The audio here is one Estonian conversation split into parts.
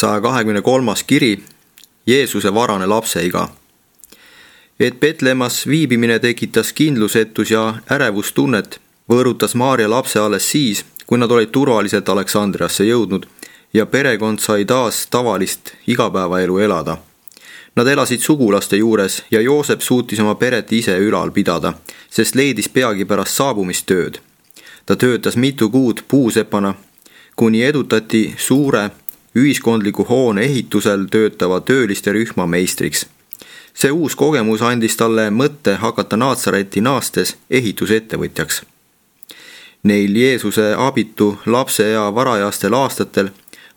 123. kiri, Jeesuse varane lapseiga. Et Betlemas viibimine tekitas kindlusetus ja ärevustunnet, võõrutas Maarja lapse alles siis, kui nad olid turvaliselt Aleksandriasse jõudnud ja perekond sai taas tavalist igapäevaelu elada. Nad elasid sugulaste juures ja Joosep suutis oma peret ise ülal pidada, sest leidis peagi pärast saabumist tööd. Ta töötas mitu kuud puusepana, kuni edutati suure ühiskondliku hoone ehitusel töötava tööliste rühma meistriks. See uus kogemus andis talle mõtte hakata Naatsaretti naastes ehitusettevõtjaks. Neil Jeesuse abitu lapseea varajastel aastatel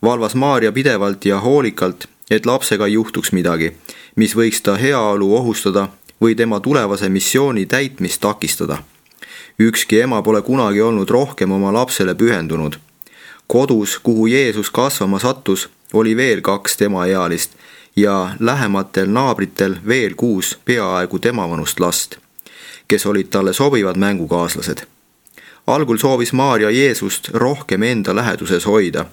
valvas Maarja pidevalt ja hoolikalt, et lapsega ei juhtuks midagi, mis võiks ta heaolu ohustada või tema tulevase missiooni täitmist takistada. Ükski ema pole kunagi olnud rohkem oma lapsele pühendunud. Kodus, kuhu Jeesus kasvama sattus, oli veel 2 temaealist ja lähematel naabritel veel 6 peaaegu temavanust last, kes olid talle sobivad mängukaaslased. Algul soovis Maarja Jeesust rohkem enda läheduses hoida.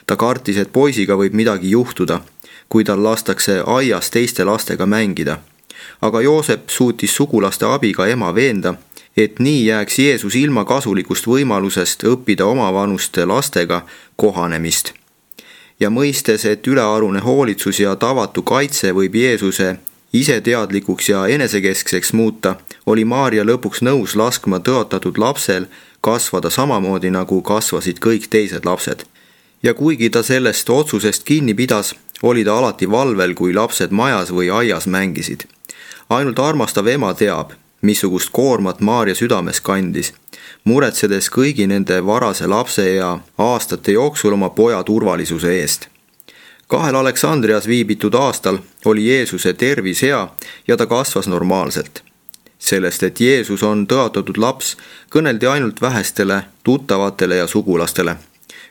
Ta kartis, et poisiga võib midagi juhtuda, kui tal lastakse aias teiste lastega mängida. Aga Joosep suutis sugulaste abiga ema veenda, et nii jääks Jeesus ilma kasulikust võimalusest õppida omavanuste lastega kohanemist. Ja mõistes, et ülearune hoolitsus ja tavatu kaitse võib Jeesuse iseteadlikuks ja enesekeskseks muuta, oli Maarja lõpuks nõus laskma tõotatud lapsel kasvada samamoodi, nagu kasvasid kõik teised lapsed. Ja kuigi ta sellest otsusest kinni pidas, oli ta alati valvel, kui lapsed majas või aias mängisid. Ainult armastav ema teab, missugust koormat Maarja südames kandis, muretsedes kõigi nende varase lapse ja aastate jooksul oma poja turvalisuse eest. 2 Aleksandrias viibitud aastal oli Jeesuse tervis hea ja ta kasvas normaalselt. Sellest, et Jeesus on tõotatud laps, kõneldi ainult vähestele tuttavatele ja sugulastele.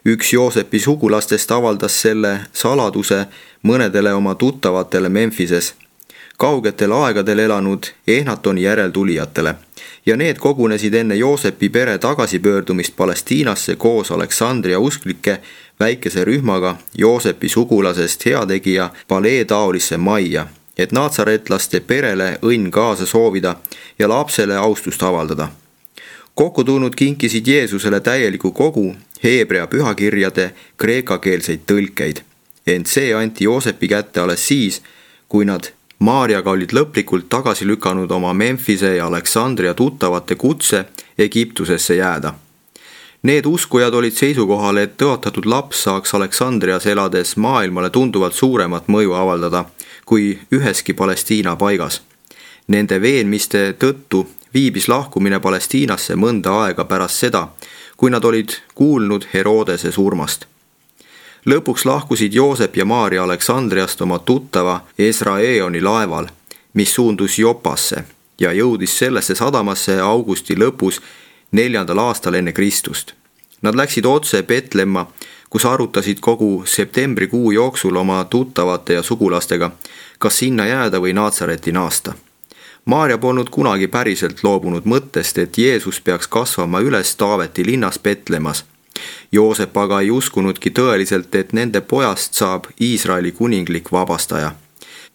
Üks Joosepi sugulastest avaldas selle saladuse mõnedele oma tuttavatele Memphises, kaugetel aegadel elanud Ehnatoni järeltulijatele, ja need kogunesid enne Joosepi pere tagasipöördumist Palestiinasse koos Aleksandria usklike väikese rühmaga Joosepi sugulasest heategija palee taolisse majja, et naatsaretlaste perele õnn kaasa soovida ja lapsele austust avaldada. Kokku tulnud kinkisid Jeesusele täieliku kogu heebrea pühakirjade kreekakeelseid tõlkeid, ent see anti Joosepi kätte alles siis, kui nad Maarjaga olid lõplikult tagasi lükanud oma Memphise ja Aleksandria tuttavate kutse Egiptusesse jääda. Need uskujad olid seisukohal, et tõotatud laps saaks Aleksandrias elades maailmale tunduvalt suuremat mõju avaldada kui üheski Palestiina paigas. Nende veenmiste tõttu viibis lahkumine Palestiinasse mõnda aega pärast seda, kui nad olid kuulnud Herodese surmast. Lõpuks lahkusid Joosep ja Maarja Aleksandriast oma tuttava Esraeoni laeval, mis suundus Jopasse ja jõudis sellesse sadamasse augusti lõpus 4. aastal enne Kristust. Nad läksid otse Betlemma, kus arutasid kogu septembrikuu jooksul oma tuttavate ja sugulastega, kas sinna jääda või Naatsaretti naasta. Maarja polnud kunagi päriselt loobunud mõttest, et Jeesus peaks kasvama üles Taaveti linnas Betlemas. Joosep aga ei uskunudki tõeliselt, et nende pojast saab Iisraeli kuninglik vabastaja.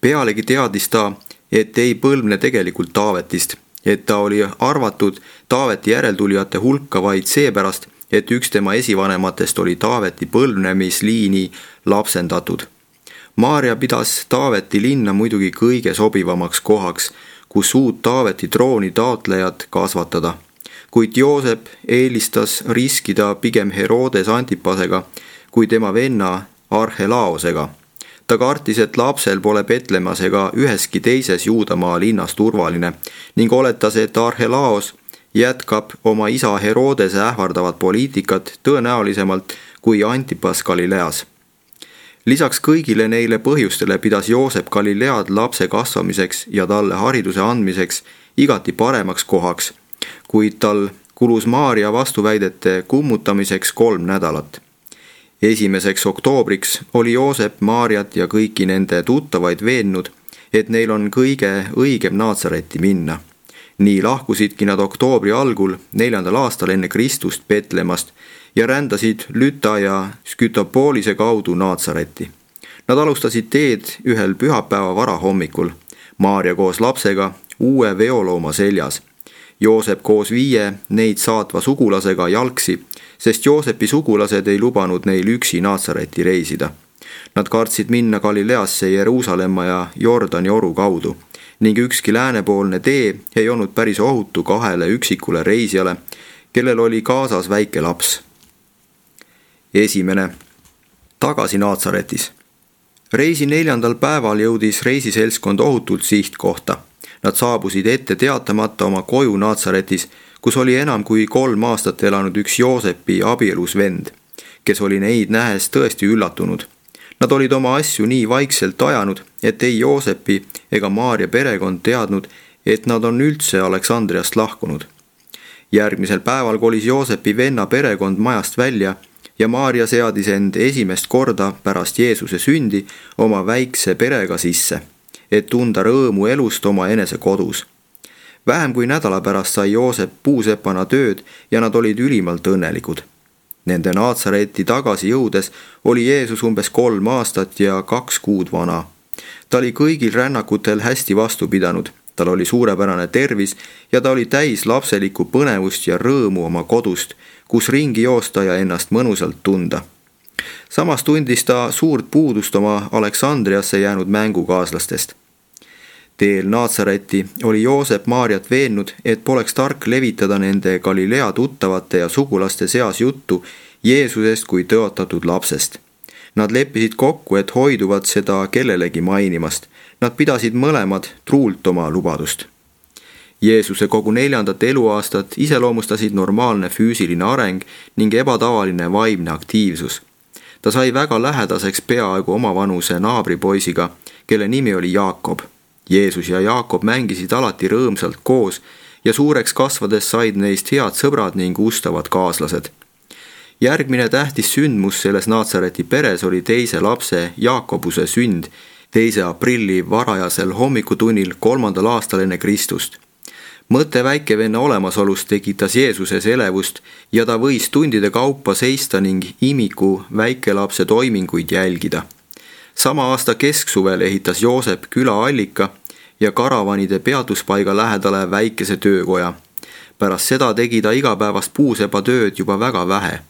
Pealegi teadis ta, et ei põlvne tegelikult Taavetist, et ta oli arvatud Taaveti järeltulijate hulka vaid seepärast, et üks tema esivanematest oli Taaveti põlvnemisliini lapsendatud. Maarja pidas Taaveti linna muidugi kõige sobivamaks kohaks, kus uut Taaveti trooni taotlejat kasvatada. Kuid Joosep eelistas riskida pigem Herodes Antipasega kui tema venna Arhelaosega. Ta kartis, et lapsel pole Betlemas ega üheski teises Juudamaa linnas turvaline ning oletas, et Arhelaos jätkab oma isa Herodese ähvardavat poliitikat tõenäolisemalt kui Antipas Galileas. Lisaks kõigile neile põhjustele pidas Joosep Galilead lapse kasvamiseks ja talle hariduse andmiseks igati paremaks kohaks, kuid tal kulus Maarja vastuväidete kummutamiseks 3 nädalat. 1. oktoobriks oli Joosep Maarjat ja kõiki nende tuttavaid veennud, et neil on kõige õigem Naatsaretti minna. Nii lahkusidki nad oktoobri algul 4. aastal enne Kristust Betlemmast ja rändasid Lüta ja Skytopoolise kaudu Naatsaretti. Nad alustasid teed ühel pühapäeva varahommikul, Maarja koos lapsega uue veolooma seljas. Joosep koos 5 neid saatva sugulasega jalgsi, sest Joosepi sugulased ei lubanud neil üksi Naatsareti reisida. Nad kartsid minna Galileasse Jeruusalemma ja Jordani oru kaudu ning ükski läänepoolne tee ei olnud päris ohutu 2 üksikule reisijale, kellel oli kaasas väike laps. 1. Tagasi Naatsaretis. Reisi 4. päeval jõudis reisiseltskond ohutult sihtkohta. Nad saabusid ette teatamata oma koju Naatsaretis, kus oli enam kui 3 aastat elanud üks Joosepi abielus vend, kes oli neid nähes tõesti üllatunud. Nad olid oma asju nii vaikselt ajanud, et ei Joosepi ega Maarja perekond teadnud, et nad on üldse Aleksandriast lahkunud. Järgmisel päeval kolis Joosepi venna perekond majast välja ja Maarja seadis end esimest korda pärast Jeesuse sündi oma väikse perega sisse, et tunda rõõmu elust oma enese kodus. Vähem kui nädala pärast sai Joosep puusepana tööd ja nad olid ülimalt õnnelikud. Nende Naatsareti tagasi jõudes oli Jeesus umbes 3 aastat ja 2 kuud vana. Ta oli kõigil rännakutel hästi vastu pidanud, tal oli suurepärane tervis ja ta oli täis lapselikku põnevust ja rõõmu oma kodust, kus ringi joosta ja ennast mõnusalt tunda. Samas tundis ta suurt puudust oma Aleksandriasse jäänud mängukaaslastest. Teel Naatsareti oli Joosep Maarjat veennud, et poleks tark levitada nende Galilea tuttavate ja sugulaste seas juttu Jeesusest kui tõotatud lapsest. Nad leppisid kokku, et hoiduvad seda kellelegi mainimast. Nad pidasid mõlemad truult oma lubadust. Jeesuse kogu 4. eluaastat iseloomustasid normaalne füüsiline areng ning ebatavaline vaimne aktiivsus. Ta sai väga lähedaseks peaaegu omavanuse naabripoisiga, kelle nimi oli Jaakob. Jeesus ja Jaakob mängisid alati rõõmsalt koos ja suureks kasvades said neist head sõbrad ning ustavad kaaslased. Järgmine tähtis sündmus selles Naatsareti peres oli teise lapse Jaakobuse sünd 2. aprilli varajasel hommikutunnil 3. aastal enne Kristust. Mõte väikevenna olemasolust tekitas Jeesuses elevust ja ta võis tundide kaupa seista ning imiku väikelapse toiminguid jälgida. Sama aasta kesksuvel ehitas Joosep külaallika ja karavanide peatuspaiga lähedale väikese töökoja. Pärast seda tegi ta igapäevast puusepatööd juba väga vähe.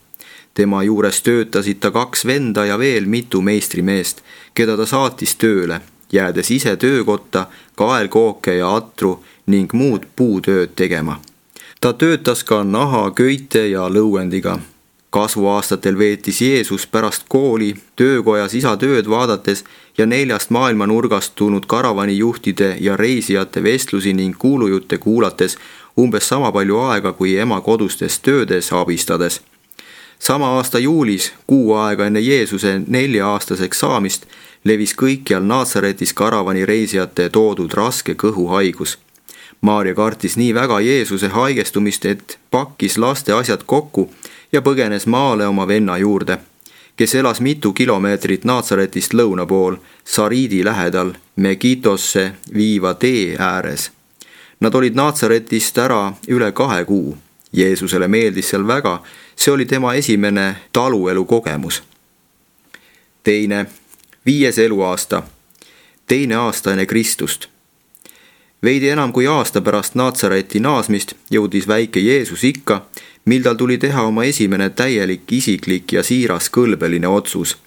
Tema juures töötasid ta 2 venda ja veel mitu meistrimeest, keda ta saatis tööle, jäädes ise töökotta kaelkooke ja atru ning muud puutööd tegema. Ta töötas ka naha, köite ja lõuendiga. Kasvuaastatel veetis Jeesus pärast kooli töökojas isa tööd vaadates ja 4 maailmanurgast tulnud karavanijuhtide ja reisijate vestlusi ning kuulujutte kuulates umbes sama palju aega kui ema kodustes töödes abistades. Sama aasta juulis, kuu aega enne Jeesuse 4-aastaseks saamist, levis kõikjal Naatsaretis karavani reisijate toodud raske kõhuhaigus. Maarja kartis nii väga Jeesuse haigestumist, et pakkis laste asjad kokku ja põgenes maale oma venna juurde, kes elas mitu kilomeetrit Naatsaretist lõuna pool, Sariidi lähedal, Megitosse viiva tee ääres. Nad olid Naatsaretist ära üle 2 kuu. Jeesusele meeldis seal väga, see oli tema esimene taluelu kogemus. 2. 5. eluaasta, 2. aasta enne Kristust. Veidi enam kui aasta pärast Naatsareti naasmist jõudis väike Jeesus ikka, mil tal tuli teha oma esimene täielik isiklik ja siiras kõlbeline otsus.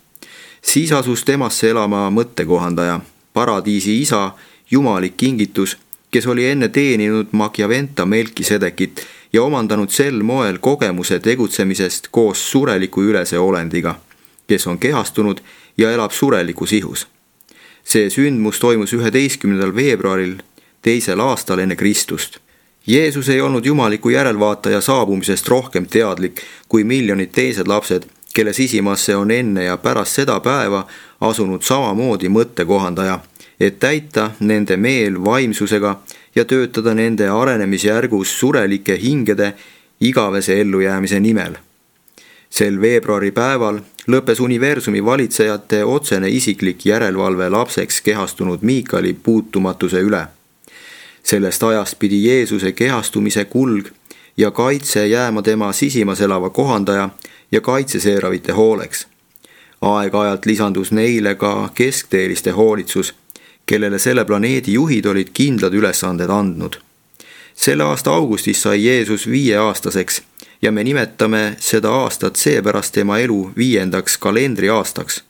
Siis asus temasse elama mõttekohandaja, paradiisi isa, jumalik kingitus, kes oli enne teeninud Machiaventa Melkisedekit ja omandanud sel moel kogemuse tegutsemisest koos sureliku ülese olendiga, kes on kehastunud ja elab surelikus ihus. See sündmus toimus 11. veebruaril 2. aastal enne Kristust. Jeesus ei olnud jumaliku järelvaataja saabumisest rohkem teadlik kui miljonid teised lapsed, kelle sisimasse on enne ja pärast seda päeva asunud samamoodi mõttekohandaja, et täita nende meel vaimsusega ja töötada nende arenemisjärgus surelike hingede igavese ellujäämise nimel. Sel veebruari päeval lõppes universumi valitsejate otsene isiklik järelevalve lapseks kehastunud Miikali puutumatuse üle. Sellest ajast pidi Jeesuse kehastumise kulg ja kaitse jääma tema sisimas elava kohandaja ja kaitseseeravite hooleks. Aeg-ajalt lisandus neile ka keskteeliste hoolitsus, kellele selle planeedi juhid olid kindlad ülesanded andnud. Selle aasta augustis sai Jeesus 5-aastaseks ja me nimetame seda aastat seepärast tema elu 5. kalendriaastaks.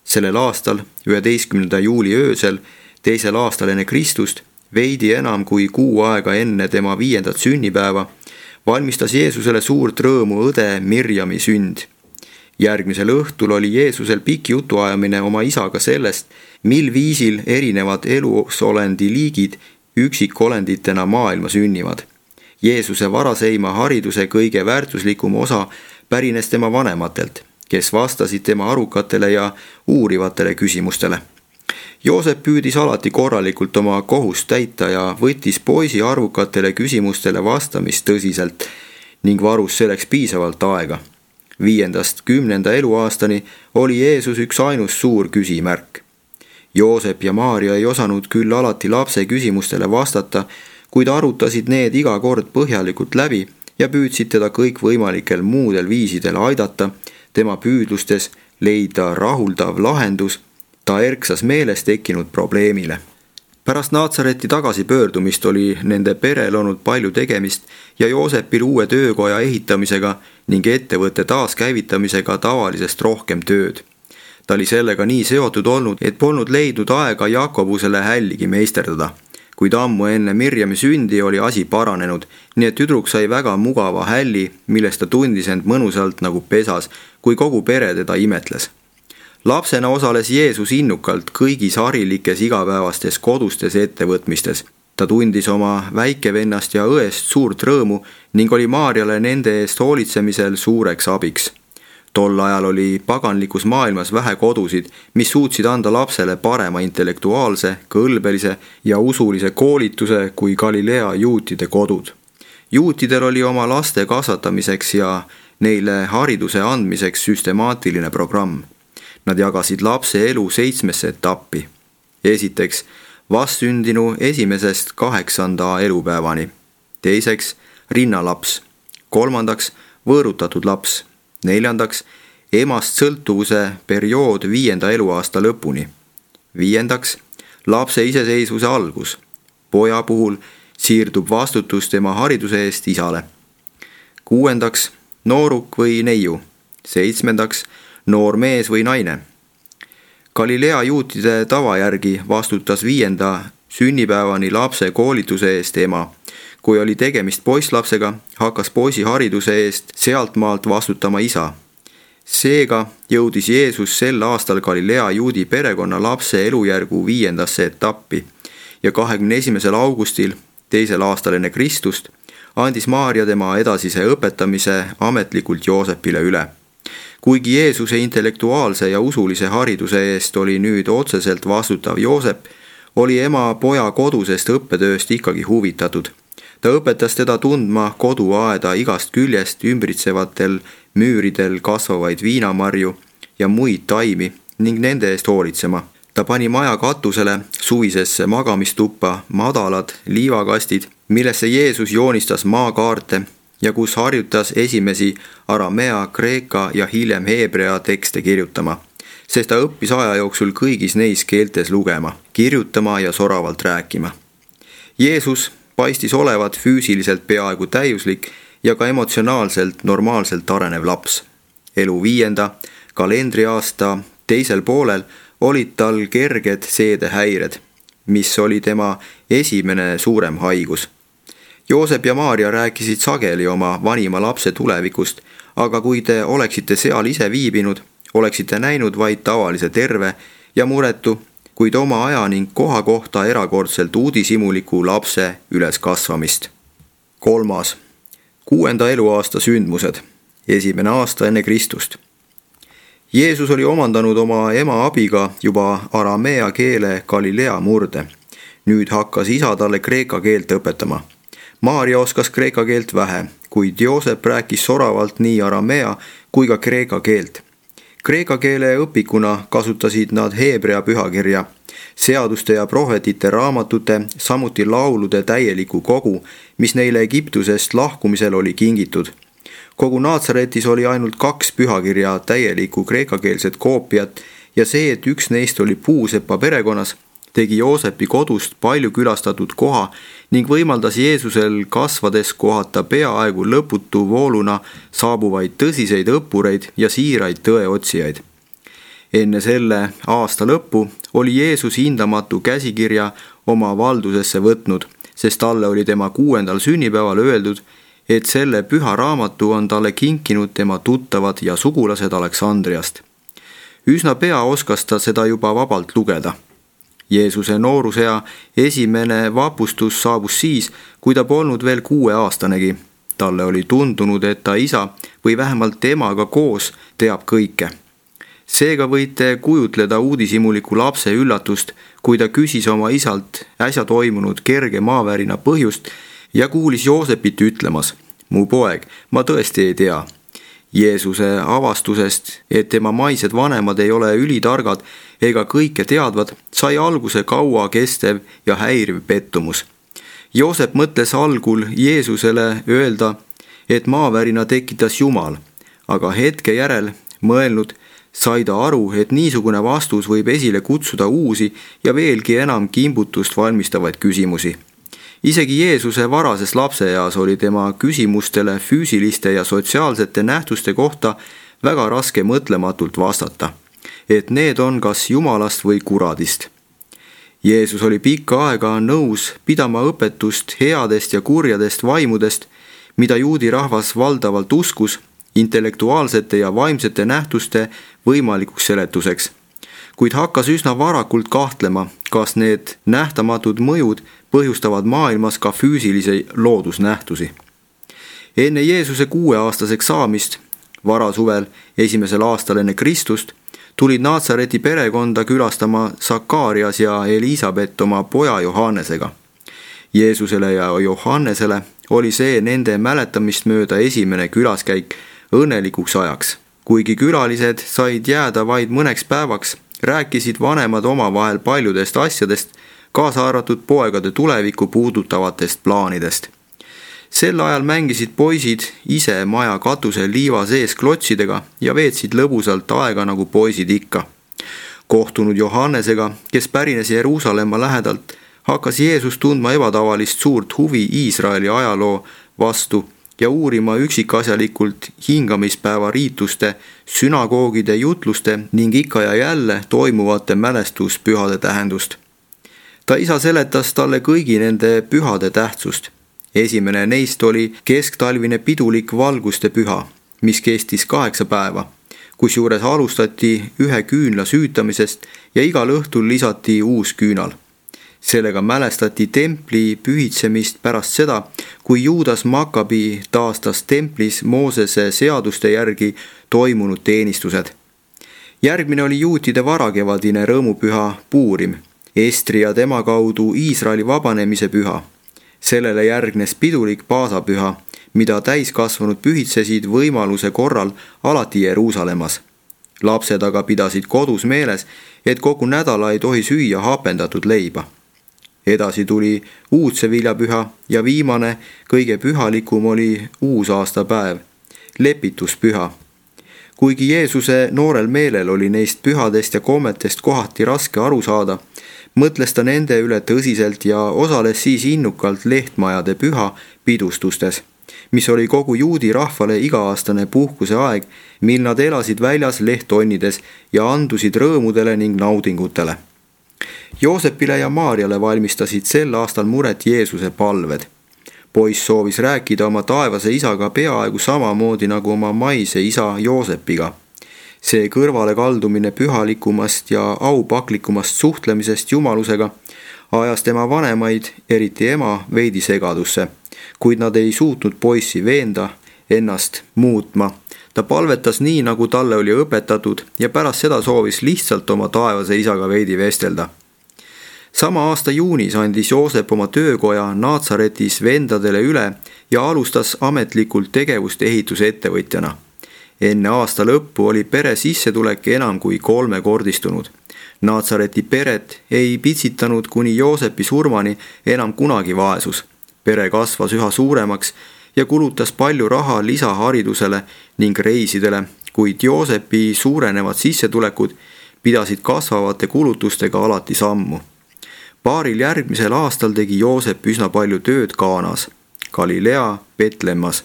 Sellel aastal, 11. juuli öösel, 2. aastal enne Kristust, veidi enam kui kuu aega enne tema 5. sünnipäeva, valmistas Jeesusele suurt rõõmu õde Mirjami sünd. Järgmisel õhtul oli Jeesusel pikk jutuajamine oma isaga sellest, mil viisil erinevad elusolendi liigid üksikolenditena maailma sünnivad. Jeesuse varaseima hariduse kõige väärtuslikum osa pärines tema vanematelt, kes vastasid tema arukatele ja uurivatele küsimustele. Joosep püüdis alati korralikult oma kohust täita ja võttis poisi arvukatele küsimustele vastamist tõsiselt ning varus selleks piisavalt aega. 5.–10. eluaastani oli Jeesus üks ainus suur küsimärk. Joosep ja Maarja ei osanud küll alati lapse küsimustele vastata, kuid arutasid need iga kord põhjalikult läbi ja püüdsid teda kõikvõimalikel muudel viisidel aidata, tema püüdlustes leida rahuldav lahendus ta erksas meeles tekkinud probleemile. Pärast Naatsareti tagasipöördumist oli nende perel olnud palju tegemist ja Joosepil uue töökoja ehitamisega ning ettevõtte taaskäivitamisega tavalisest rohkem tööd. Ta oli sellega nii seotud olnud, et polnud leidnud aega Jakobusele hälligi meisterdada. Kuid ammu enne Mirjami sündi oli asi paranenud, nii et tüdruk sai väga mugava hälli, millest ta tundis end mõnusalt nagu pesas, kui kogu pere teda imetles. Lapsena osales Jeesus innukalt kõigis harilikes igapäevastes kodustes ettevõtmistes. Ta tundis oma väikevennast ja õest suurt rõõmu ning oli Maarjale nende eest hoolitsemisel suureks abiks. Tol ajal oli paganlikus maailmas vähe kodusid, mis suutsid anda lapsele parema intellektuaalse, kõlbelise ja usulise koolituse kui Galilea juutide kodud. Juutidel oli oma laste kasvatamiseks ja neile hariduse andmiseks süstemaatiline programm. Nad jagasid lapse elu 7 etappi. Esiteks, vastsündinu 1.–8. elupäevani. Teiseks, rinnalaps. 3. võõrutatud laps. 4. emast sõltuvuse periood 5. eluaasta lõpuni. 5. lapse iseseisvuse algus. Poja puhul siirdub vastutus tema hariduse eest isale. 6. nooruk või neiu. 7. noor mees või naine. Galilea juutide tava järgi vastutas 5. sünnipäevani lapse koolituse eest ema. Kui oli tegemist poisslapsega, hakkas poisi hariduse eest sealtmaalt vastutama isa. Seega jõudis Jeesus sel aastal Galilea juudi perekonna lapse elujärgu 5. etappi ja 21. augustil 2. aastal enne Kristust andis Maarja tema edasise õpetamise ametlikult Joosepile üle. Kuigi Jeesuse intellektuaalse ja usulise hariduse eest oli nüüd otseselt vastutav Joosep, oli ema poja kodusest õppetööst ikkagi huvitatud. Ta õpetas teda tundma koduaeda igast küljest ümbritsevatel müüridel kasvavaid viinamarju ja muid taimi ning nende eest hoolitsema. Ta pani maja katusele suvisesse magamistuppa madalad liivakastid, millesse Jeesus joonistas maakaarte ja kus harjutas esimesi aramea, kreeka ja hiljem heebrea tekste kirjutama, sest ta õppis aja jooksul kõigis neis keeltes lugema, kirjutama ja soravalt rääkima. Jeesus paistis olevat füüsiliselt peaaegu täiuslik ja ka emotsionaalselt normaalselt arenev laps. Elu 5. kalendriaasta teisel poolel olid tal kerged seedehäired, mis oli tema esimene suurem haigus. Joosep ja Maarja rääkisid sageli oma vanima lapse tulevikust, aga kui te oleksite seal ise viibinud, oleksite näinud vaid tavalise terve ja muretu, kuid oma aja ning koha kohta erakordselt uudishimuliku lapse üleskasvamist. 3. 6. eluaasta sündmused. 1. aasta enne Kristust. Jeesus oli omandanud oma ema abiga juba aramea keele Galilea murde. Nüüd hakkas isa talle kreeka keelt õpetama. Maarja oskas kreeka keelt vähe, kuid Joosep rääkis soravalt nii aramea kui ka kreeka keelt. Kreeka keele õpikuna kasutasid nad heebrea pühakirja, seaduste ja prohvetite raamatute, samuti laulude täieliku kogu, mis neile Egiptusest lahkumisel oli kingitud. kogu Naatsaretis oli ainult 2 pühakirja täielikku kreekakeelset koopiat ja see, et üks neist oli puusepa perekonnas, tegi Joosepi kodust palju külastatud koha ning võimaldas Jeesusel kasvades kohata peaaegu lõputu vooluna saabuvaid tõsiseid õppureid ja siiraid tõeotsijaid. Enne selle aasta lõppu oli Jeesus hindamatu käsikirja oma valdusesse võtnud, sest talle oli tema 6. sünnipäeval öeldud, et selle püha raamatu on talle kinkinud tema tuttavad ja sugulased Aleksandriast. Üsna pea oskas ta seda juba vabalt lugeda. Jeesuse noorusea esimene vapustus saabus siis, kui ta polnud veel 6-aastanegi. Talle oli tundunud, et ta isa või vähemalt temaga koos teab kõike. Seega võite kujutleda uudishimuliku lapse üllatust, kui ta küsis oma isalt äsja toimunud kerge maavärina põhjust ja kuulis Joosepit ütlemas: "Mu poeg, ma tõesti ei tea." Jeesuse avastusest, et tema maised vanemad ei ole ülitargad ega kõike teadvad, sai alguse kaua kestev ja häiriv pettumus. Joosep mõtles algul Jeesusele öelda, et maavärina tekitas Jumal, aga hetke järel mõelnud sai ta aru, et niisugune vastus võib esile kutsuda uusi ja veelgi enam kimbutust valmistavaid küsimusi. Isegi Jeesuse varases lapseeas oli tema küsimustele füüsiliste ja sotsiaalsete nähtuste kohta väga raske mõtlematult vastata, et need on kas Jumalast või kuradist. Jeesus oli pikka aega nõus pidama õpetust headest ja kurjadest vaimudest, mida juudi rahvas valdavalt uskus, intellektuaalsete ja vaimsete nähtuste võimalikuks seletuseks, kuid hakkas üsna varakult kahtlema, kas need nähtamatud mõjud põhjustavad maailmas ka füüsilisi loodusnähtusi. Enne Jeesuse 6-aastaseks saamist, varasuvel 1. aastal enne Kristust, tulid Naatsareti perekonda külastama Sakarias ja Elisabet oma poja Johannesega. Jeesusele ja Johannesele oli see nende mäletamist mööda esimene külaskäik õnnelikuks ajaks. Kuigi külalised said jääda vaid mõneks päevaks, rääkisid vanemad omavahel paljudest asjadest, kaasa arvatud poegade tulevikku puudutavatest plaanidest. Sel ajal mängisid poisid ise maja katusel liiva sees klotsidega ja veetsid lõbusalt aega nagu poisid ikka. Kohtunud Johannesega, kes pärines Jeruusalemma lähedalt, hakkas Jeesus tundma ebatavalist suurt huvi Iisraeli ajaloo vastu ja uurima üksikasjalikult hingamispäeva riituste, sünagoogide jutluste ning ikka ja jälle toimuvate mälestuspühade tähendust. Ta isa seletas talle kõigi nende pühade tähtsust. Esimene neist oli kesktalvine pidulik valguste püha, mis kestis 8 päeva, kusjuures alustati 1 küünla süütamisest ja igal õhtul lisati uus küünal. Sellega mälestati templi pühitsemist pärast seda, kui Juudas Makkabi taastas templis Moosese seaduste järgi toimunud teenistused. Järgmine oli juutide varakevadine rõõmupüha Puurim, Estri ja tema kaudu Iisraeli vabanemise püha. Sellele järgnes pidulik paasapüha, mida täiskasvanud pühitsesid võimaluse korral alati Jeruusalemmas. Lapsed aga pidasid kodus meeles, et kogu nädala ei tohi süüa hapendatud leiba. Edasi tuli uudseviljapüha ja viimane, kõige pühalikum oli uusaastapäev, lepituspüha. Kuigi Jeesuse noorel meelel oli neist pühadest ja kommetest kohati raske aru saada, mõtles ta nende üle tõsiselt ja osales siis innukalt lehtmajade püha pidustustes, mis oli kogu juudi rahvale iga-aastane puhkuse aeg, mil nad elasid väljas lehttonnides ja andusid rõõmudele ning naudingutele. Joosepile ja Maarjale valmistasid sel aastal muret Jeesuse palved. Poiss soovis rääkida oma taevase isaga peaaegu samamoodi nagu oma maise isa Joosepiga. See kõrvale kaldumine pühalikumast ja aupaklikumast suhtlemisest jumalusega ajas tema vanemaid, eriti ema, veidi segadusse, kuid nad ei suutnud poissi veenda ennast muutma. Ta palvetas nii, nagu talle oli õpetatud ja pärast seda soovis lihtsalt oma taevase isaga veidi vestelda. Sama aasta juunis andis Joosep oma töökoja Naatsaretis vendadele üle ja alustas ametlikult tegevust ehitusettevõtjana. Enne aasta lõppu oli pere sissetulek enam kui 3-kordistunud. Naatsareti peret ei pitsitanud kuni Joosepi surmani enam kunagi vaesus. Pere kasvas üha suuremaks ja kulutas palju raha lisaharidusele ning reisidele, kuid Joosepi suurenevad sissetulekud pidasid kasvavate kulutustega alati sammu. Paaril järgmisel aastal tegi Joosep üsna palju tööd Kaanas, Galilea Betlemmas,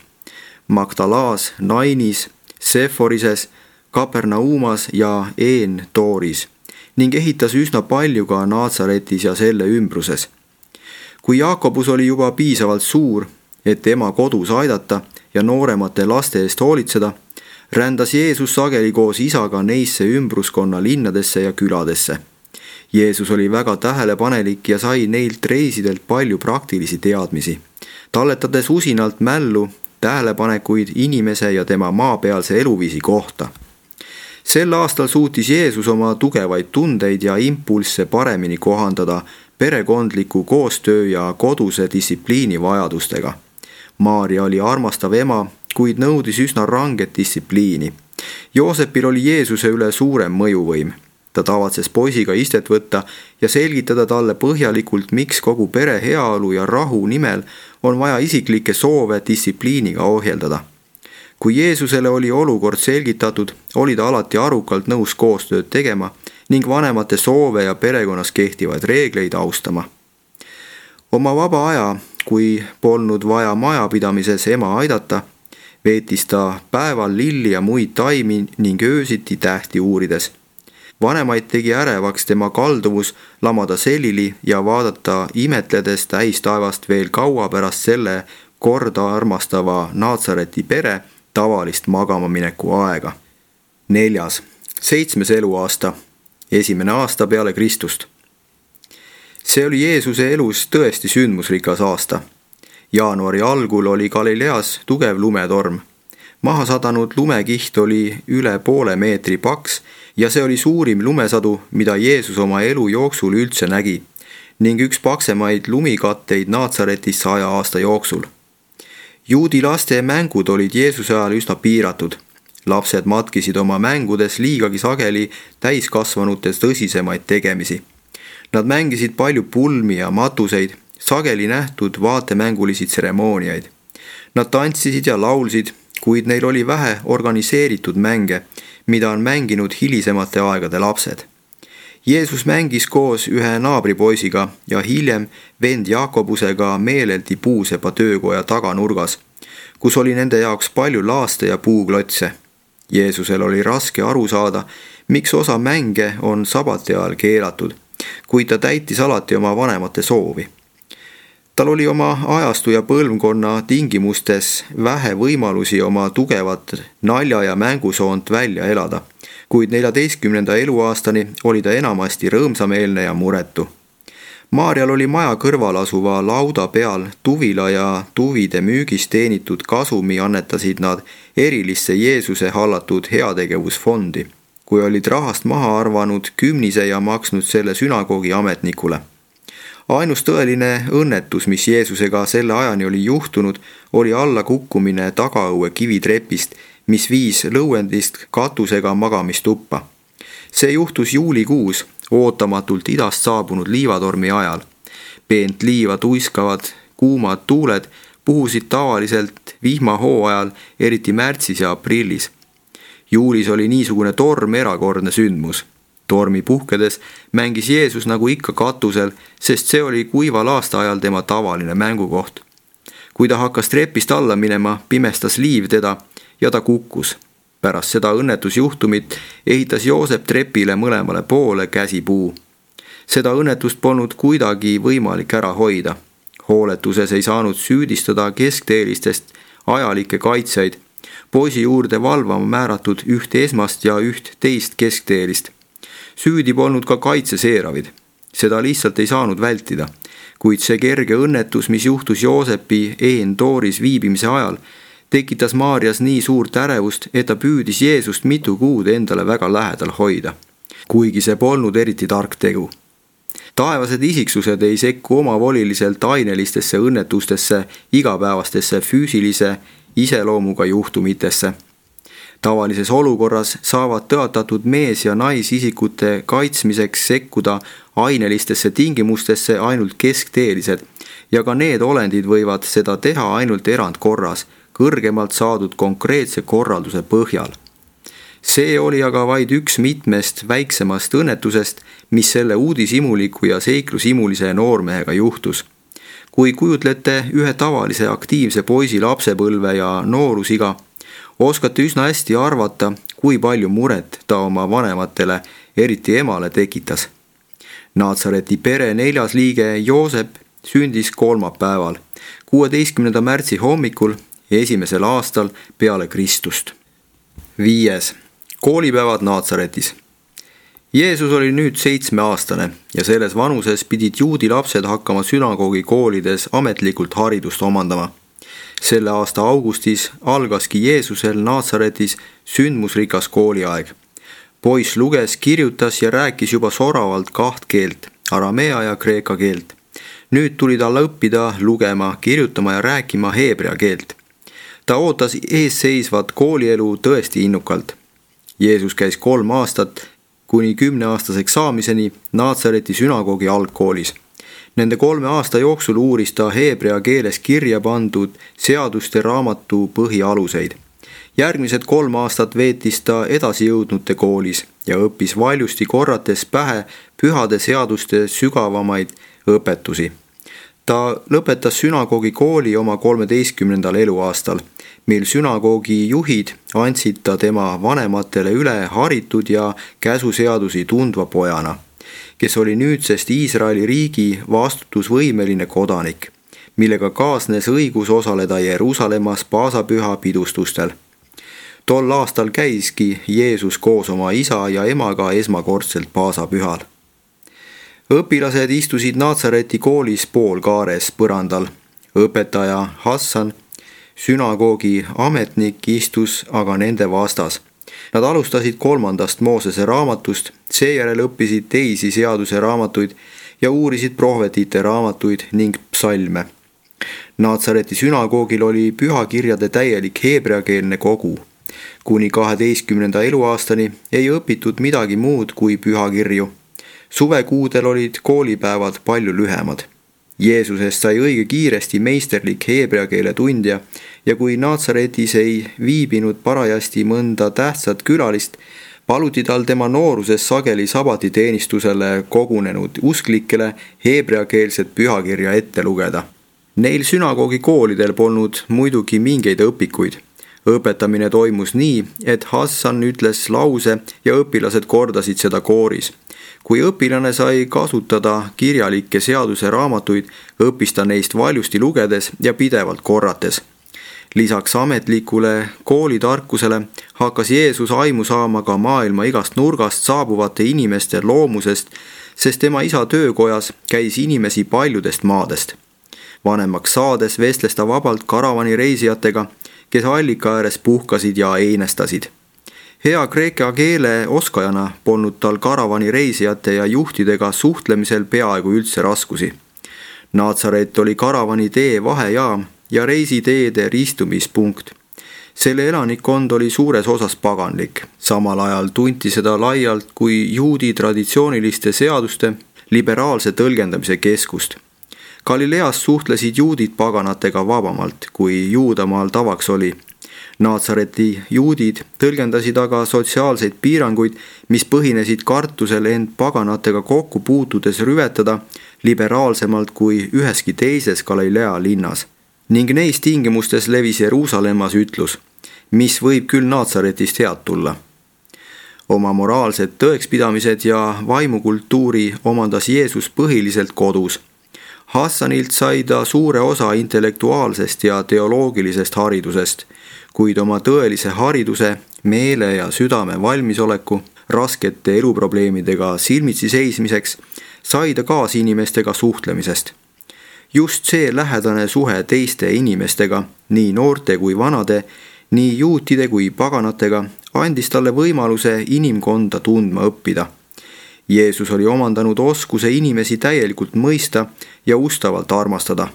Magdalaas, Nainis, Seforises, Kapernaumas ja En-Dooris ning ehitas üsna palju ka Naatsaretis ja selle ümbruses. Kui Jaakobus oli juba piisavalt suur, et ema kodus aidata ja nooremate laste eest hoolitseda, rändas Jeesus sageli koos isaga neisse ümbruskonna linnadesse ja küladesse. Jeesus oli väga tähelepanelik ja sai neilt reisidelt palju praktilisi teadmisi, talletades usinalt mällu tähelepanekuid inimese ja tema maapealse eluviisi kohta. Sel aastal suutis Jeesus oma tugevaid tundeid ja impulsse paremini kohandada perekondliku koostöö ja koduse distsipliini vajadustega. Maarja oli armastav ema, kuid nõudis üsna ranget distsipliini. Joosepil oli Jeesuse üle suurem mõjuvõim. Ta tavatses poisiga istet võtta ja selgitada talle põhjalikult, miks kogu pere heaolu ja rahu nimel on vaja isiklikke soove distsipliiniga ohjeldada. Kui Jeesusele oli olukord selgitatud, oli ta alati arukalt nõus koostööd tegema ning vanemate soove ja perekonnas kehtivaid reegleid austama. Oma vaba aja, kui polnud vaja majapidamises ema aidata, veetis ta päeval lilli ja muid taimi ning öösiti tähti uurides. Vanemaid tegi ärevaks tema kalduvus lamada selili ja vaadata imetledes täistaevast veel kaua pärast selle korda armastava Naatsareti pere tavalist magamamineku aega. 4. 7. eluaasta, 1. aasta peale Kristust. See oli Jeesuse elus tõesti sündmusrikas aasta. Jaanuari algul oli Galileas tugev lumetorm. Maha sadanud lumekiht oli üle poole meetri paks ja see oli suurim lumesadu, mida Jeesus oma elu jooksul üldse nägi ning üks paksemaid lumikatteid Naatsaretis 100 aasta jooksul. Juudi laste mängud olid Jeesuse ajal üsna piiratud. Lapsed matkisid oma mängudes liigagi sageli täiskasvanutes tõsisemaid tegemisi. Nad mängisid palju pulmi ja matuseid, sageli nähtud vaatemängulisi tseremooniaid. Nad tantsisid ja laulsid, kuid neil oli vähe organiseeritud mänge, mida on mänginud hilisemate aegade lapsed. Jeesus mängis koos ühe naabripoisiga ja hiljem vend Jaakobusega meeleldi puusepa töökoja taganurgas, kus oli nende jaoks palju laaste ja puuklotse. Jeesusel oli raske aru saada, miks osa mänge on sabati ajal keelatud, kuid ta täitis alati oma vanemate soovi. Tal oli oma ajastu ja põlvkonna tingimustes vähe võimalusi oma tugevat nalja- ja mängusoont välja elada, kuid 14. eluaastani oli ta enamasti rõõmsameelne ja muretu. Maarjal oli maja kõrval asuva lauda peal tuvila ja tuvide müügist teenitud kasumi annetasid nad erilisse Jeesuse hallatud heategevusfondi, kui olid rahast maha arvanud kümnise ja maksnud selle sünagoogi ametnikule. Ainus tõeline õnnetus, mis Jeesusega selle ajani oli juhtunud, oli allakukkumine tagaõue kivitrepist, mis viis lõuendist katusega magamistuppa. See juhtus juulikuus, ootamatult idast saabunud liivatormi ajal. Peent liiva tuiskavad kuumad tuuled puhusid tavaliselt vihmahooajal, eriti märtsis ja aprillis. Juulis oli niisugune torm erakordne sündmus. Tormi puhkedes mängis Jeesus nagu ikka katusel, sest see oli kuival aastaajal tema tavaline mängukoht. Kui ta hakkas trepist alla minema, pimestas liiv teda ja ta kukkus. Pärast seda õnnetusjuhtumit ehitas Joosep trepile mõlemale poole käsipuu. Seda õnnetust polnud kuidagi võimalik ära hoida. Hooletuses ei saanud süüdistada keskteelistest ajalikke kaitsjaid, poisi juurde valvama määratud üht esmast ja üht teist keskteelist. Süüdi polnud ka kaitseseeravid. Seda lihtsalt ei saanud vältida, kuid see kerge õnnetus, mis juhtus Joosepi En-Dooris viibimise ajal, tekitas Maarjas nii suurt ärevust, et ta püüdis Jeesust mitu kuud endale väga lähedal hoida, kuigi see polnud eriti tark tegu. Taevased isiksused ei sekku omavoliliselt ainelistesse õnnetustesse, igapäevastesse füüsilise iseloomuga juhtumitesse. Tavalises olukorras saavad tõotatud mees- ja naisisikute kaitsmiseks sekkuda ainelistesse tingimustesse ainult keskteelised ja ka need olendid võivad seda teha ainult erandkorras, kõrgemalt saadud konkreetse korralduse põhjal. See oli aga vaid üks mitmest väiksemast õnnetusest, mis selle uudishimuliku ja seiklushimulise noormehega juhtus. Kui kujutlete ühe tavalise aktiivse poisi lapsepõlve ja noorusiga, oskate üsna hästi arvata, kui palju muret ta oma vanematele, eriti emale tekitas. Naatsareti pere 4. liige Joosep sündis kolmapäeval, 16. märtsi hommikul, 1. aastal peale Kristust. 5. Koolipäevad Naatsaretis. Jeesus oli nüüd 7-aastane ja selles vanuses pidid juudi lapsed hakkama sünagoogi koolides ametlikult haridust omandama. Selle aasta augustis algaski Jeesusel Naatsaretis sündmusrikas kooliaeg. Poiss luges, kirjutas ja rääkis juba soravalt 2 keelt, aramea ja kreeka keelt. Nüüd tuli talle õppida lugema, kirjutama ja rääkima heebrea keelt. Ta ootas eesseisvat koolielu tõesti innukalt. Jeesus käis 3 aastat kuni 10-aastaseks saamiseni Naatsareti sünagoogi algkoolis. Nende 3 aasta jooksul uuris ta heebrea keeles kirja pandud seaduste raamatu põhialuseid. Järgmised 3 aastat veetis ta edasijõudnute koolis ja õppis valjusti korrates pähe pühade seaduste sügavamaid õpetusi. Ta lõpetas sünagoogi kooli oma 13. eluaastal, mil sünagoogi juhid andsid ta tema vanematele üle haritud ja käsuseadusi tundva pojana, kes oli nüüdsest Iisraeli riigi vastutusvõimeline kodanik, millega kaasnes õigus osaleda Jeruusalemmas paasapüha pidustustel. Tol aastal käiski Jeesus koos oma isa ja emaga esmakordselt paasapühal. Õpilased istusid Naatsareti koolis poolkaares põrandal. Õpetaja Hassan, sünagoogi ametnik, istus aga nende vastas. Nad alustasid 3. Moosese raamatust, seejärel õppisid teisi seaduse raamatuid ja uurisid prohvetite raamatuid ning psalme. Naatsareti sünagoogil oli pühakirjade täielik heebreakeelne kogu. Kuni 12. eluaastani ei õpitud midagi muud kui pühakirju. Suvekuudel olid koolipäevad palju lühemad. Jeesusest sai õige kiiresti meisterlik heebrea keele tundja ja kui Naatsaretis ei viibinud parajasti mõnda tähtsat külalist, paluti tal tema nooruses sageli sabatiteenistusele kogunenud usklikele heebreakeelset pühakirja ette lugeda. Neil sünagoogi koolidel polnud muidugi mingeid õpikuid. Õpetamine toimus nii, et Hassan ütles lause ja õpilased kordasid seda kooris. Kui õpilane sai kasutada kirjalikke seaduse raamatuid, õppis ta neist valjusti lugedes ja pidevalt korrates. Lisaks ametlikule koolitarkusele hakkas Jeesus aimu saama ka maailma igast nurgast saabuvate inimeste loomusest, sest tema isa töökojas käis inimesi paljudest maadest. Vanemaks saades vestles ta vabalt karavani reisijatega, kes allika ääres puhkasid ja einestasid. Hea kreeka keele oskajana polnud tal karavani reisijate ja juhtidega suhtlemisel peaaegu üldse raskusi. Naatsaret oli karavani tee vahejaam ja reisiteede ristumispunkt. Selle elanikkond oli suures osas paganlik. Samal ajal tunti seda laialt kui juudi traditsiooniliste seaduste liberaalse tõlgendamise keskust. Galileas suhtlesid juudid paganatega vabamalt, kui Juudamaal tavaks oli. Naatsareti juudid tõlgendasid aga sotsiaalseid piiranguid, mis põhinesid kartusel end paganatega kokku puutudes rüvetada liberaalsemalt kui üheski teises Galilea linnas. Ning neis tingimustes levis Jeruusalemmas ütlus, mis võib küll Naatsaretist head tulla. Oma moraalsed tõekspidamised ja vaimukultuuri omandas Jeesus põhiliselt kodus. Hassanilt sai ta suure osa intellektuaalsest ja teoloogilisest haridusest, kuid oma tõelise hariduse, meele ja südame valmisoleku raskete eluprobleemidega silmitsi seismiseks sai ta kaasinimestega suhtlemisest. Just see lähedane suhe teiste inimestega, nii noorte kui vanade, nii juutide kui paganatega, andis talle võimaluse inimkonda tundma õppida. Jeesus oli omandanud oskuse inimesi täielikult mõista ja ustavalt armastada.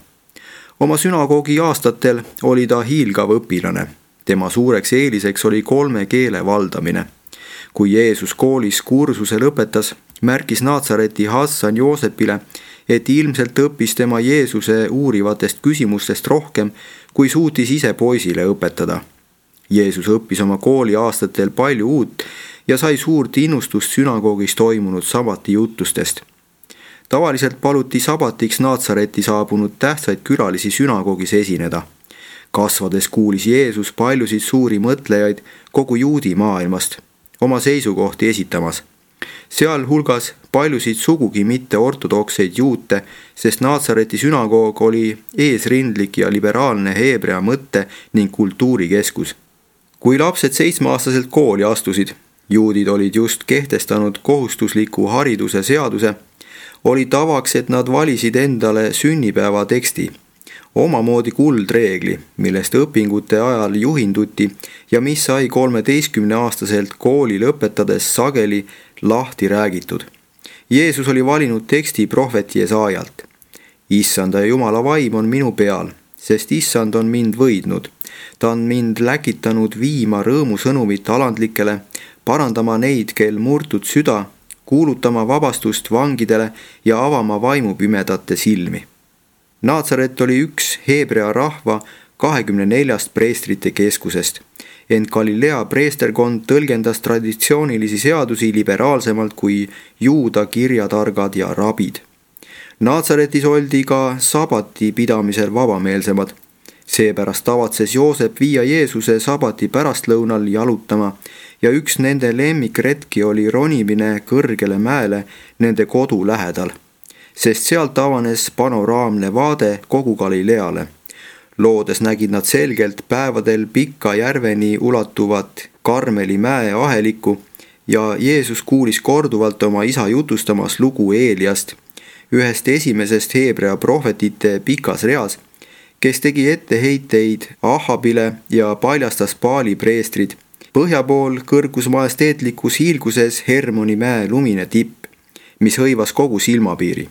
Oma sünagoogi aastatel oli ta hiilgav õpilane. Tema suureks eeliseks oli 3 keele valdamine. Kui Jeesus koolis kursuse lõpetas, märkis Naatsareti Hassan Joosepile et ilmselt õppis tema Jeesuse uurivatest küsimustest rohkem, kui suutis ise poisile õpetada. Jeesus õppis oma kooliaastatel palju uut ja sai suurt innustust sünagoogis toimunud sabati jutustest. Tavaliselt paluti sabatiks Naatsareti saabunud tähtsaid külalisi sünagoogis esineda. Kasvades kuulis Jeesus paljusid suuri mõtlejaid kogu juudi maailmast oma seisukohti esitamas. Sealhulgas paljusid sugugi mitte ortodokseid juute, sest Naatsareti sünagoog oli eesrindlik ja liberaalne heebrea mõtte ning kultuurikeskus. Kui lapsed 7-aastaselt kooli astusid, juudid olid just kehtestanud kohustusliku hariduse seaduse, oli tavaks, et nad valisid endale sünnipäeva teksti, omamoodi kuldreegli, millest õpingute ajal juhinduti ja mis sai 13-aastaselt kooli lõpetades sageli lahti räägitud. Jeesus oli valinud teksti prohvet Jesaajalt. Issanda ja Jumala vaim on minu peal, sest Issand on mind võidnud. Ta on mind läkitanud viima rõõmusõnumit alandlikele, parandama neid, kel murtud süda, kuulutama vabastust vangidele ja avama vaimupimedate silmi. Naatsaret oli üks heebrea rahva 24 preestrite keskusest, ent Galilea preesterkond tõlgendas traditsioonilisi seadusi liberaalsemalt kui juuda kirjatargad ja rabid. Naatsaretis oldi ka sabati pidamisel vabameelsemad. Seepärast tavatses Joosep viia Jeesuse sabati pärastlõunal jalutama ja üks nende lemmikretki oli ronimine kõrgele mäele nende kodu lähedal, sest sealt avanes panoraamne vaade kogu Galileale. Loodes nägid nad selgelt päevadel Pika järveni ulatuvat Karmeli mäe ahelikku ja Jeesus kuulis korduvalt oma isa jutustamas lugu Eeliast, ühest esimesest heebrea prohvetite pikas reas, kes tegi etteheiteid Ahabile ja paljastas Baali preestrid. Põhja pool kõrgus majesteetlikus hiilguses Hermoni mäe lumine tipp, mis hõivas kogu silmapiiri.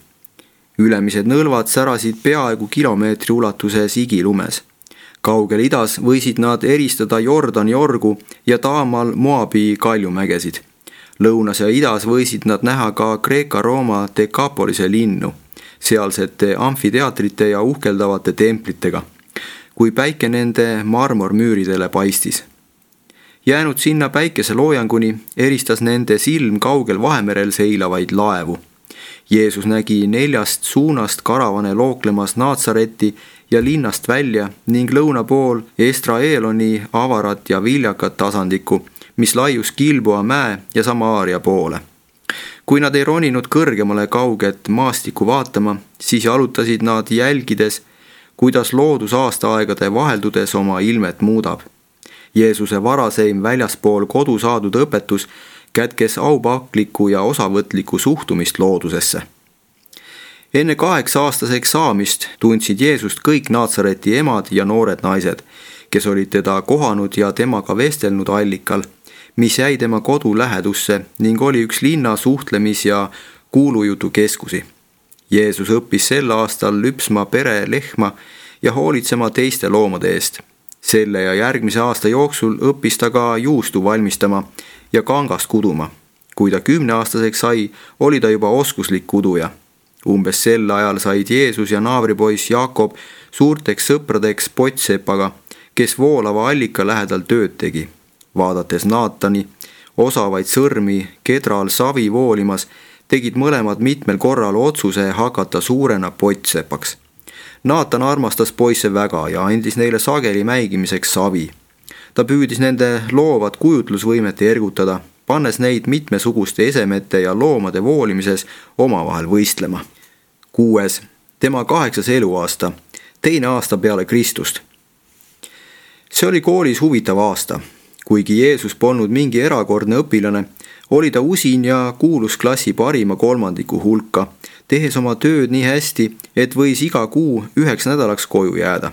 Ülemised nõlvad särasid peaaegu kilomeetri ulatuses igilumes. Kaugel idas võisid nad eristada Jordani orgu ja taamal Moabi kaljumägesid. Lõunas ja idas võisid nad näha ka Kreeka-Rooma Dekapolise linnu, sealsete amfiteatrite ja uhkeldavate templitega, kui päike nende marmormüüridele paistis. Jäänud sinna päikeseloojanguni eristas nende silm kaugel Vahemerel seilavaid laevu. Jeesus nägi 4 suunast karavane looklemas Naatsaretti ja linnast välja ning lõuna pool Estraeloni avarat ja viljakat tasandikku, mis laius Gilboa mäe ja Samaaria poole. Kui nad ei roninud kõrgemale kauget maastikku vaatama, siis jalutasid nad jälgides, kuidas loodus aastaaegade vaheldudes oma ilmet muudab. Jeesuse varaseim väljaspool kodu saadud õpetus kätkes aupaklikku ja osavõtlikku suhtumist loodusesse. Enne 8-aastaseks saamist tundsid Jeesust kõik Naatsareti emad ja noored naised, kes olid teda kohanud ja temaga vestelnud allikal, mis jäi tema kodu lähedusse ning oli üks linna suhtlemis- ja kuulujutu keskusi. Jeesus õppis sel aastal lüpsma pere lehma ja hoolitsema teiste loomade eest. Selle ja järgmise aasta jooksul õppis ta ka juustu valmistama ja kangast kuduma. Kui ta 10-aastaseks sai, oli ta juba oskuslik kuduja. Umbes sel ajal said Jeesus ja naabripoiss Jaakob suurteks sõpradeks pottsepaga, kes voolava allika lähedal tööd tegi. Vaadates Naatani, osavaid sõrmi kedral savi voolimas, tegid mõlemad mitmel korral otsuse hakata suurena pottsepaks. Naatan armastas poisse väga ja andis neile sageli mäigimiseks savi. Ta püüdis nende loovat kujutlusvõimet ergutada, pannes neid mitmesuguste esemete ja loomade voolimises omavahel võistlema. 6. Tema 8. eluaasta, 2. aasta peale Kristust. See oli koolis huvitav aasta. Kuigi Jeesus polnud mingi erakordne õpilane, oli ta usin ja kuulus klassi parima kolmandiku hulka, tehes oma tööd nii hästi, et võis iga kuu 9 nädalaks koju jääda.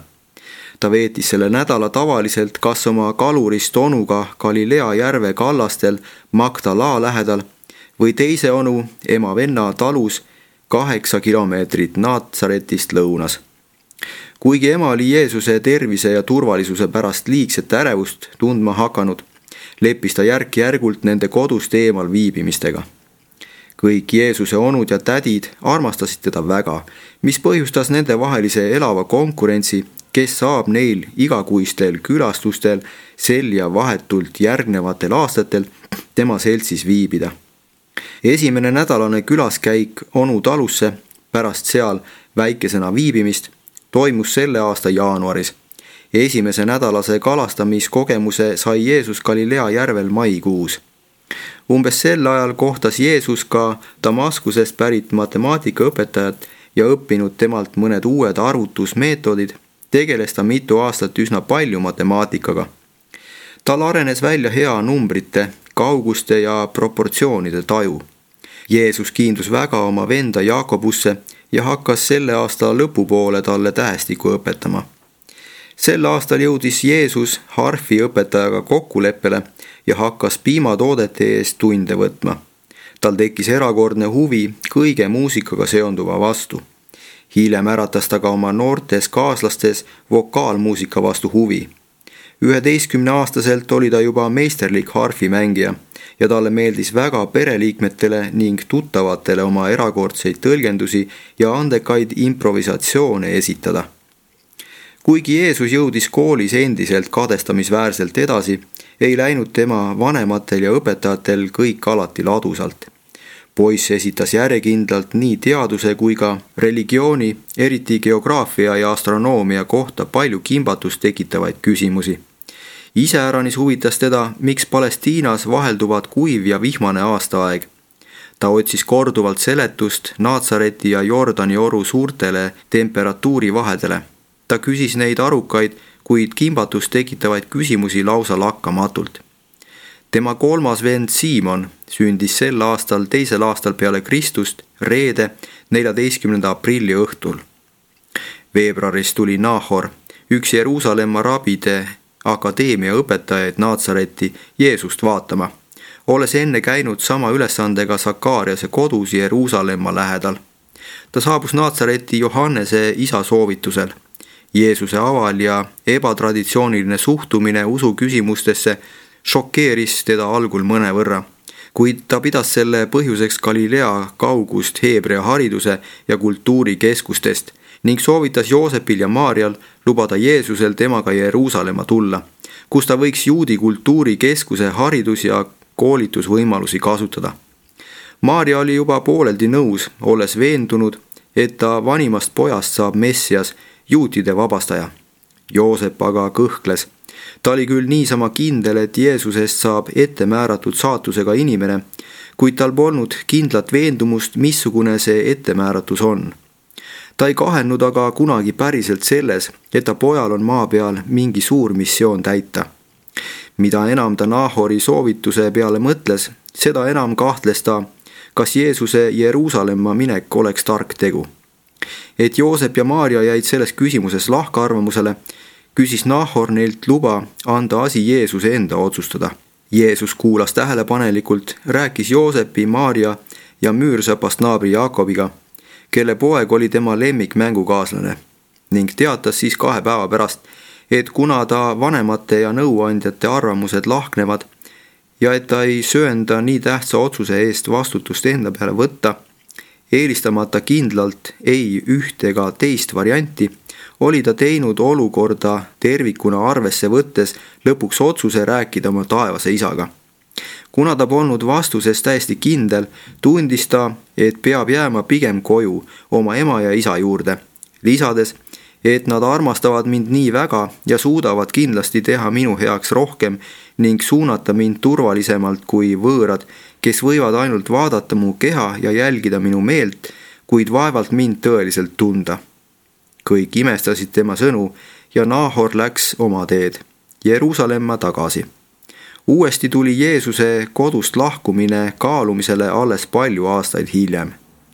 Ta veetis selle nädala tavaliselt kas oma kalurist onuga Galilea järve kallastel Magdala lähedal või teise onu ema venna talus 8 kilomeetrit Naatsaretist lõunas. Kuigi ema oli Jeesuse tervise ja turvalisuse pärast liigset ärevust tundma hakanud, leppis ta järk-järgult nende kodust eemal viibimistega. kõik Jeesuse onud ja tädid armastasid teda väga, mis põhjustas nendevahelise elava konkurentsi, kes saab neil igakuistel külastustel sel ja vahetult järgnevatel aastatel tema seltsis viibida. Esimene nädalane külaskäik onu talusse pärast seal väikesena viibimist toimus selle aasta jaanuaris. Esimese nädalase kalastamiskogemuse sai Jeesus Galilea järvel maikuus. Umbes sel ajal kohtas Jeesus ka Damaskusest pärit matemaatikaõpetajat ja õppinud temalt mõned uued arvutusmeetodid, tegeles ta mitu aastat üsna palju matemaatikaga. Tal arenes välja hea numbrite, kauguste ja proportsioonide taju. Jeesus kiindus väga oma venda Jaakobusse ja hakkas selle aasta lõpupoole talle tähestikku õpetama. Sel aastal jõudis Jeesus harfi õpetajaga kokkuleppele ja hakkas piimatoodete eest tunde võtma. Tal tekkis erakordne huvi kõige muusikaga seonduva vastu. Hiljem äratas ta ka oma noortes kaaslastes vokaalmuusika vastu huvi. 11-aastaselt oli ta juba meisterlik harfimängija ja talle meeldis väga pereliikmetele ning tuttavatele oma erakordseid tõlgendusi ja andekaid improvisatsioone esitada. Kuigi Jeesus jõudis koolis endiselt kadestamisväärselt edasi, ei läinud tema vanematel ja õpetajatel kõik alati ladusalt. Poiss esitas järjekindlalt nii teaduse kui ka religiooni, eriti geograafia ja astronoomia kohta palju kimbatust tekitavaid küsimusi. Iseäranis huvitas teda, miks Palestiinas vahelduvad kuiv ja vihmane aastaaeg. Ta otsis korduvalt seletust Naatsareti ja Jordani oru suurtele temperatuurivahedele. Ta küsis neid arukaid, kuid kimbatust tekitavaid küsimusi lausa lakkamatult. Tema kolmas vend Siimon sündis sel aastal 2. aastal peale Kristust reede 14. aprilli õhtul. Veebruaris tuli Nahor, üks Jeruusalemma rabide akadeemia õpetajaid Naatsareti Jeesust vaatama, olles enne käinud sama ülesandega Sakariase kodus Jeruusalemma lähedal. Ta saabus Naatsareti Johannese isa soovitusel. Jeesuse aval ja ebatraditsiooniline suhtumine usu küsimustesse šokeeris teda algul mõnevõrra, kuid ta pidas selle põhjuseks Galilea kaugust Heebrea hariduse ja kultuurikeskustest ning soovitas Joosepil ja Maarjal lubada Jeesusel temaga Jeruusalemma tulla, kus ta võiks juudi kultuurikeskuse haridus- ja koolitusvõimalusi kasutada. Maarja oli juba pooleldi nõus, olles veendunud, et ta vanimast pojast saab Messias, juutide vabastaja. Joosep aga kõhkles. Ta oli küll niisama kindel, et Jeesusest saab ettemääratud saatusega inimene, kuid tal polnud kindlat veendumust, missugune see ettemääratus on. Ta ei kahelnud aga kunagi päriselt selles, et ta pojal on maa peal mingi suur missioon täita. Mida enam ta Nahori soovituse peale mõtles, seda enam kahtles ta, kas Jeesuse Jeruusalemma minek oleks tark tegu. Et Joosep ja Maarja jäid selles küsimuses lahkarvamusele, küsis Nahor neilt luba anda asi Jeesuse enda otsustada. Jeesus kuulas tähelepanelikult, rääkis Joosepi, Maarja ja müürsõpast naabri Jaakobiga, kelle poeg oli tema lemmikmängukaaslane, ning teatas siis 2 päeva pärast, et kuna ta vanemate ja nõuandjate arvamused lahknevad ja et ta ei söanda nii tähtsa otsuse eest vastutust enda peale võtta, eelistamata kindlalt ei üht ega teist varianti, oli ta teinud olukorda tervikuna arvesse võttes lõpuks otsuse rääkida oma taevase isaga. Kuna ta polnud vastuses täiesti kindel, tundis ta, et peab jääma pigem koju oma ema ja isa juurde, lisades, et nad armastavad mind nii väga ja suudavad kindlasti teha minu heaks rohkem ning suunata mind turvalisemalt kui võõrad, kes võivad ainult vaadata mu keha ja jälgida minu meelt, kuid vaevalt mind tõeliselt tunda. Kõik imestasid tema sõnu ja Nahor läks oma teed, Jeruusalemma tagasi. Uuesti tuli Jeesuse kodust lahkumine kaalumisele alles palju aastaid hiljem.